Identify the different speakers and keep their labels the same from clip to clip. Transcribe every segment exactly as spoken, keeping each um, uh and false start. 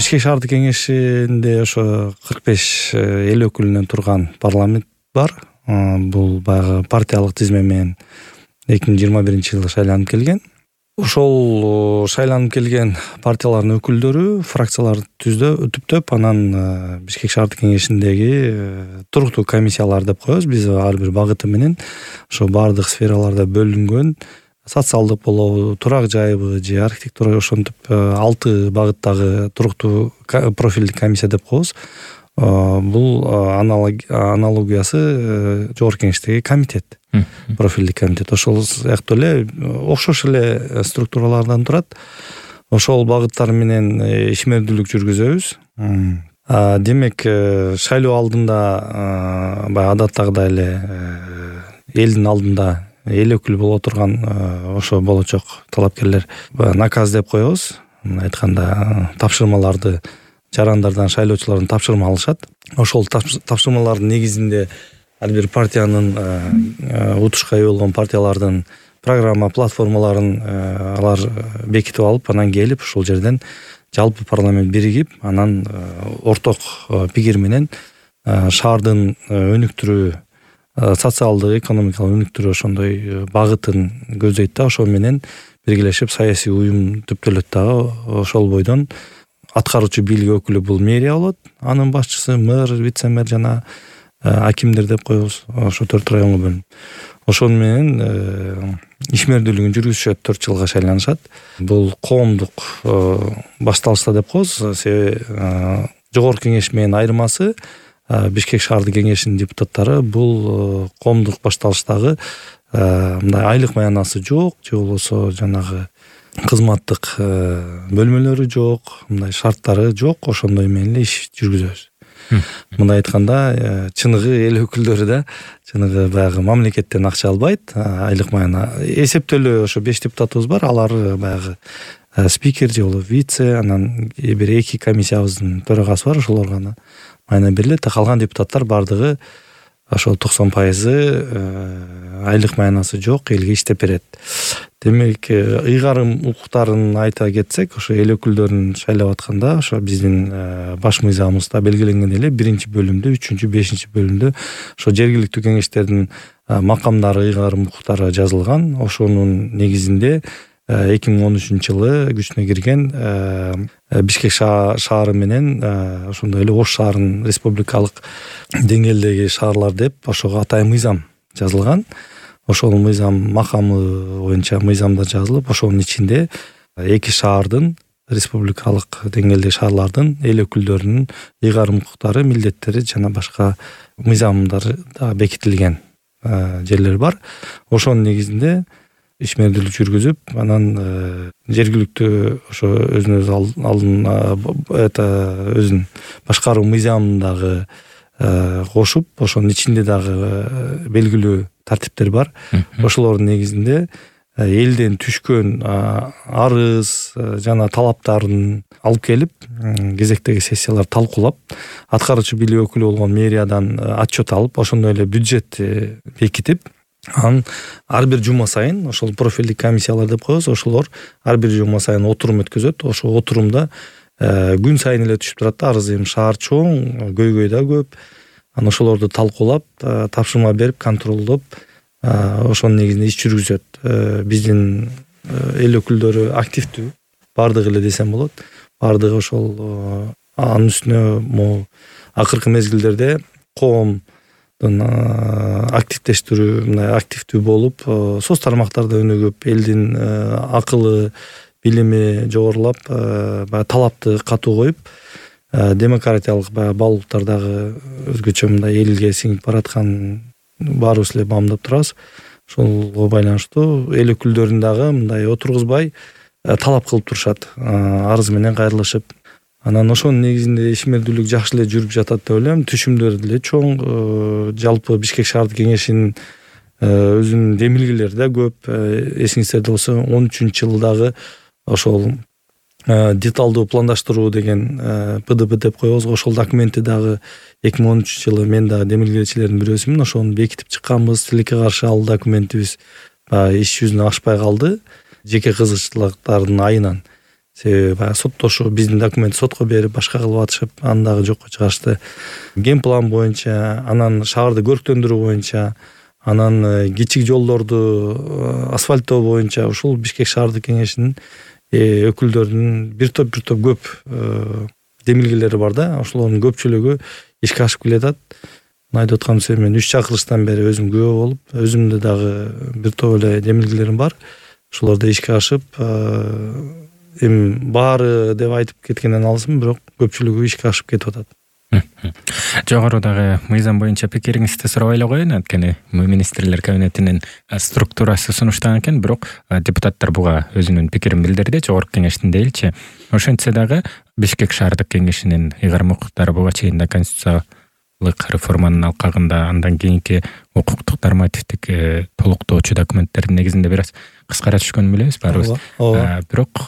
Speaker 1: Бишкек шаардык кеңешинде ошо кырк беш эл өкүлүнөн турган парламент бар. Бул баягы партиялык тизме менен эки миң жыйырма биринчи жылы шайланып келген. Ошол шайланып келген партиялардын өкүлдөрү фракцияларды түздө түптөп анан Бишкек шаардык кеңешиндеги туруктуу комиссиялар деп коебуз. Биз ар бир багыты менен ошо бардык сфераларда бөлүнгөн социалдык болобу, турак жайбы же архитектура ошентип алты багыттагы туруктуу профилдик комиссия деп коебуз. Бул аналогиясы жогорку кеңештеги комитет, профилдик комитет. Ошол сыяктуу эле окшош эле структуралардан турат. Ошол багыттар менен ишмердүүлүк жүргүзөбүз. Демек, шайлоо алдында баягы адаттагыдай эле элдин алдында эл өкүлү боло турган ошо болочок талапкерлер наказ деп коебуз. Мына айтканда тапшырмаларды жарандардан шайлоочулардан тапшырма алышат. Ошол тапшырмалардын негизинде ар бир партиянын утушка ээ болгон партиялардын программа платформаларын алар бекитип алып, анан келип ошол жерден жалпы парламент биригип, анан орток пикир менен шаардын өнүктүрүү, социалдык, экономикалык өнүктүрүү ошондой багытын көздөйт да, ошол менен биргелешип саясий уюм түптөлөт дагы. Ошол бойдон аткаруучу бийлик өкүлү бул мэрия болот, анын башчысы мэр, вице-мэр жана акимдер деп коебуз. Ошо төрт районго бөлүнүп. Ошол менен ишмердүүлүгүн жүргүзүшөт, төрт жылга шайланышат. Бул коомдук башталышта деп коебуз. Себеби жогорку кеңеш менен айырмасы Бишкек шаардык кеңешинин депутаттары бул коомдук башталыштагы мындай айлык маянасы жок, же болбосо жанагы кызматтык бөлмөлөрү жок, мындай шарттары жок, ошондой менен эле иш жүргүзөбүз. Мындай айтканда, чыныгы эл өкүлдөрү да чыныгы баягы мамлекеттен акча албайт, айлык маяна эсептөлүү ошо беш депутатыбыз бар, алар баягы спикер же болбосо вице, анан бир эки комиссиябыздын төрагасы бар, ошолорго гана майна берилет. Калган депутаттар бардыгы ошол токсон пайызы айлык маянасы жок, элге иштеп берет. Демек, ыйгарым укуктарын айта кетсек, ошо эл өкүлдөрүн шайлап атканда, ошо биздин баш мыйзамыбызда белгиленген эле биринчи бөлүмдө, үчүнчү, бешинчи бөлүмдө ошо жергиликтүү кеңештердин макамдары, ыйгарым укуктары жазылган. Ошонун негизинде эки миң он үчүнчү жылы күчүнө кирген Бишкек шаары менен ошондой эле Ош шаарынын республикалык деңгээлдеги шаарлар деп ошого атай мыйзам жазылган. Ошол мыйзам макамы боюнча мыйзамдар жазылып, ошонун ичинде эки шаардын, республикалык деңгээлдеги шаарлардын эл өкүлдөрүнүн ыйгарым укуктары, милдеттери жана башка мыйзамдар да бекитилген жерлер бар. Ошонун негизинде ишмердүүлүк жүргүзүп, анан жергиликтүү ошо өзүн өзү алдын это өзүн башкаруу мыйзамын дагы кошуп, ошонун ичинде дагы белгилүү тартиптер бар. Ошолордун негизинде элден түшкөн арыз жана талаптарын алып келип, кезектеги сессиялар талкуулап, аткаруучу бийлик өкүлү болгон мэриядан отчет алып, ошондой эле бюджет бекитип, анан ар бир жума сайын ошол профилдик комиссиялар деп коебуз, ошолор ар бир жума сайын отурум өткөзөт. Ошол отурумда күн сайын эле түшүп турат да, арыз. Эми шаар чоң, көйгөй да көп. Анан ошолорду талкуулап, тапшырма берип, контролдоп, ошонун негизинде иш жүргүзөт. Биздин эл өкүлдөрү активдүү, бардыгы эле десем болот. Бардыгы ошол анын үстүнө могу акыркы мезгилдерде коом активдештирүү, мындай активдүү болуп, соц тармактарда өнүгүп, элдин акылы, билими жогорулап, баягы талапты катуу коюп, демократиялык баягы баалуулуктар дагы өзгөчө мындай элге сиңип баратканын баарыбыз эле баамдап турабыз. Ошолго байланыштуу эл өкүлдөрүн дагы мындай отургузбай талап кылып турушат, арыз менен кайрылышып. Анан ошонун негизинде ишмердүүлүк жакшы эле жүрүп жатат деп ойлойм. Түшүмдөр деле чоң, жалпы Бишкек шаардык кеңешинин өзүнүн демилгелери да көп. Эсиңизде болсо он үчүнчү жылдагы ошол деталдуу пландаштыруу деген П Д Б деп коебуз. Ошол документти дагы эки миң он үчүнчү жылы мен дагы демилгелечилердин бирөөсүмүн. Ошону бекитип чыкканбыз. Тилекке каршы ал документибиз иш жүзүнө ашпай калды. Жеке кызыкчылыктардын айынан. себеби баягы соттошуу, биздин документти сотко берип башка кылып атышып, аны дагы жокко чыгарышты. Ген план боюнча, анан шаарды көрктөндүрүү боюнча, анан кичик жолдорду асфальттоо боюнча ушул Бишкек шаардык кеңешинин өкүлдөрүнүн бир топ бир топ көп демилгелери бар да. Ошолордун көпчүлүгү ишке ашып келатат. Айтып аткан себеби мен үч чакырылыштан бери өзүм күбө болуп, өзүмдө дагы бир топ эле демилгелерим бар. Ошолор да ишке ашып, эми баары деп айтып кеткенден алысмын, бирок көпчүлүгү ишке ашып кетип атат.
Speaker 2: Жогорудагы мыйзам боюнча пикириңизди сурабай эле коеюн, анткени министрлер кабинетинин структурасы сунуштаган экен, бирок депутаттар буга өзүнүн пикирин билдирди, жогорку кеңештин дейилчи. Ошентсе дагы Бишкек шаардык кеңешинин ыйгарым укуктары буга чейин да конституциялык реформанын алкагында, андан кийинки укуктук нормативдик толуктоочу документтердин негизинде бир аз кыскара түшкөнүн билебиз баарыбыз. Бирок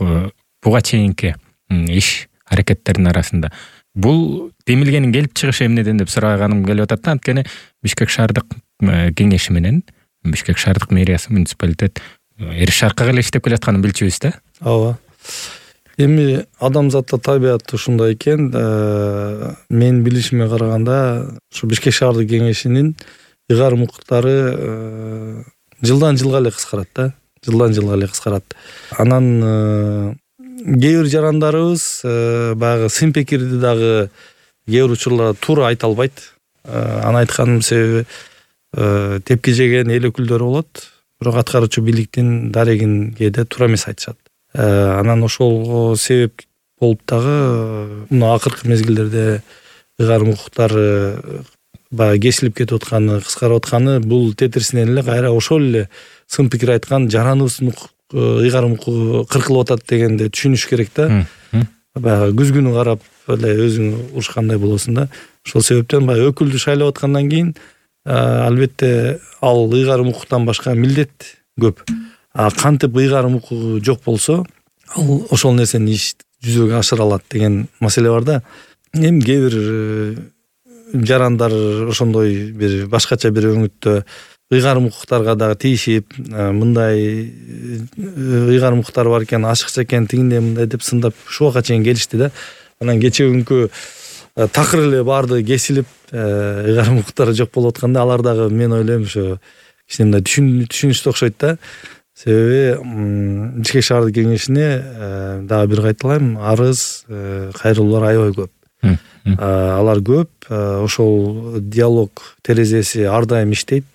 Speaker 2: буга чейинки иш аракеттердин арасында бул демилгенин келип чыгышы эмнеден деп сураганым келип атат да, анткени Бишкек шаардык кеңеши менен Бишкек шаардык мэриясы, муниципалитет эри шаркага эле иштеп келатканын билчүбүз да.
Speaker 1: Ооба. Эми адамзатта табият ушундай экен. Менин билишиме караганда, ушу Бишкек шаардык кеңешинин ыйгарым укуктары жылдан жылга эле кыскарат да. Жылдан жылга эле кыскарат. Анан кээ бир жарандарыбыз баягы сын пикирди дагы кээ бир учурларда туура айта албайт. Аны айтканымдын себеби тепки жеген эл өкүлдөрү болот, бирок аткаруучу бийликтин дарегин кээде туура эмес айтышат. Анан ошол себеп болуп дагы мына акыркы мезгилдерде ыйгарым укуктары баягы кесилип кетип атканы, кыскарып атканы бул тетирисинен эле кайра ошол эле сын пикир айткан жараныбыздын ыйгарым укугу кыркылып атат дегенди түшүнүш керек да. Баягы күзгүнү карап эле өзүң урушкандай болосуң да. Ошол себептен баягы өкүлдү шайлап аткандан кийин албетте ал ыйгарым укуктан башка милдет көп. А кантип ыйгарым укугу жок болсо, ал ошол нерсени иш жүзөгө ашыра алат деген маселе бар да. Эми кээ бир жарандар ошондой бир башкача бир өңүттө ыйгарым укуктарга дагы тийишип, мындай ыйгарым укуктар бар экен, ашыкча экен, тигиндей мындай деп сындап ушуга чейин келишти да. Анан кечээ күнкү такыр эле баарды кесилип, ыйгарым укуктары жок болуп атканда, алар дагы мен ойлойм ошо кичине мындай түшүнүштүү окшойт да. Себеби Бишкек шаардык кеңешине дагы бир кайталайм, арыз, кайрылуулар аябай көп. Алар көп, ошол диалог терезеси ар дайым иштейт.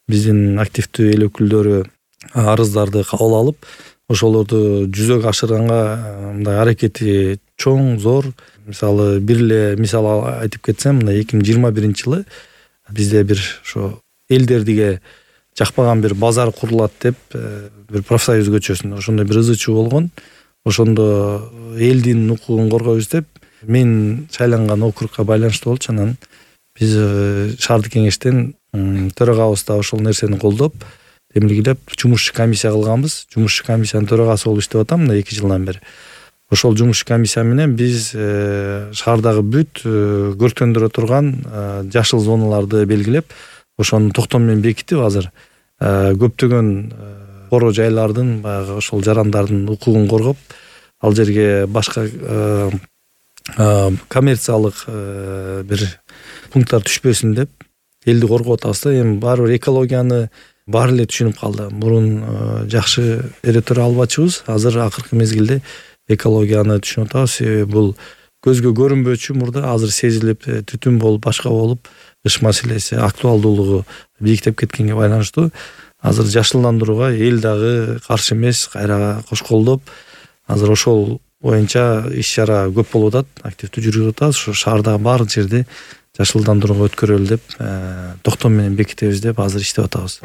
Speaker 1: Биздин активдүү эл өкүлдөрү арыздарды кабыл алып, ошолорду жүзөгө ашырганга мындай аракети чоң, зор. Мисалы, бир эле мисал айтып кетсем, мына эки миң жыйырма биринчи жылы бизде бир ошо элдердиге жакпаган бир базар курулат деп бир профсоюз көчөсүндө ошондой бир ызы чуу болгон. Ошондо элдин укугун коргойбуз деп мен шайланган округка байланыштуу болчу. Анан биз шаардык кеңештен төрагабыз да ошол нерсени колдоп, демилгелеп, жумушчу комиссия кылганбыз. Жумушчу комиссиянын төрагасы болуп иштеп атам мына эки жылдан бери. Ошол жумушчу комиссия менен биз шаардагы бүт көрктөндүрө турган жашыл зоналарды белгилеп, ошонун токтом менен бекитип, азыр көптөгөн коро жайлардын баягы ошол жарандардын укугун коргоп, ал жерге башка коммерциялык бир пункттар түшпөсүн деп элди коргоп атабыз да. Эми баары бир экологияны баары эле түшүнүп калды. Мурун жакшы эретөре албачубуз, азыр акыркы мезгилде экологияны түшүнүп атабыз. Себеби бул көзгө көрүнбөчү, мурда азыр сезилип, түтүн болуп, башка болуп, ыш маселеси актуалдуулугу бийиктеп кеткенге байланыштуу. Азыр жашылдандырууга эл дагы каршы эмес, кайра кош колдоп, азыр ошол боюнча иш чара көп болуп атат, активдүү жүргүзүп атабыз. Ошо шаардагы баардык жерде жашылдандырууга өткөрөлү деп, токтом менен бекитебиз деп азыр иштеп атабыз.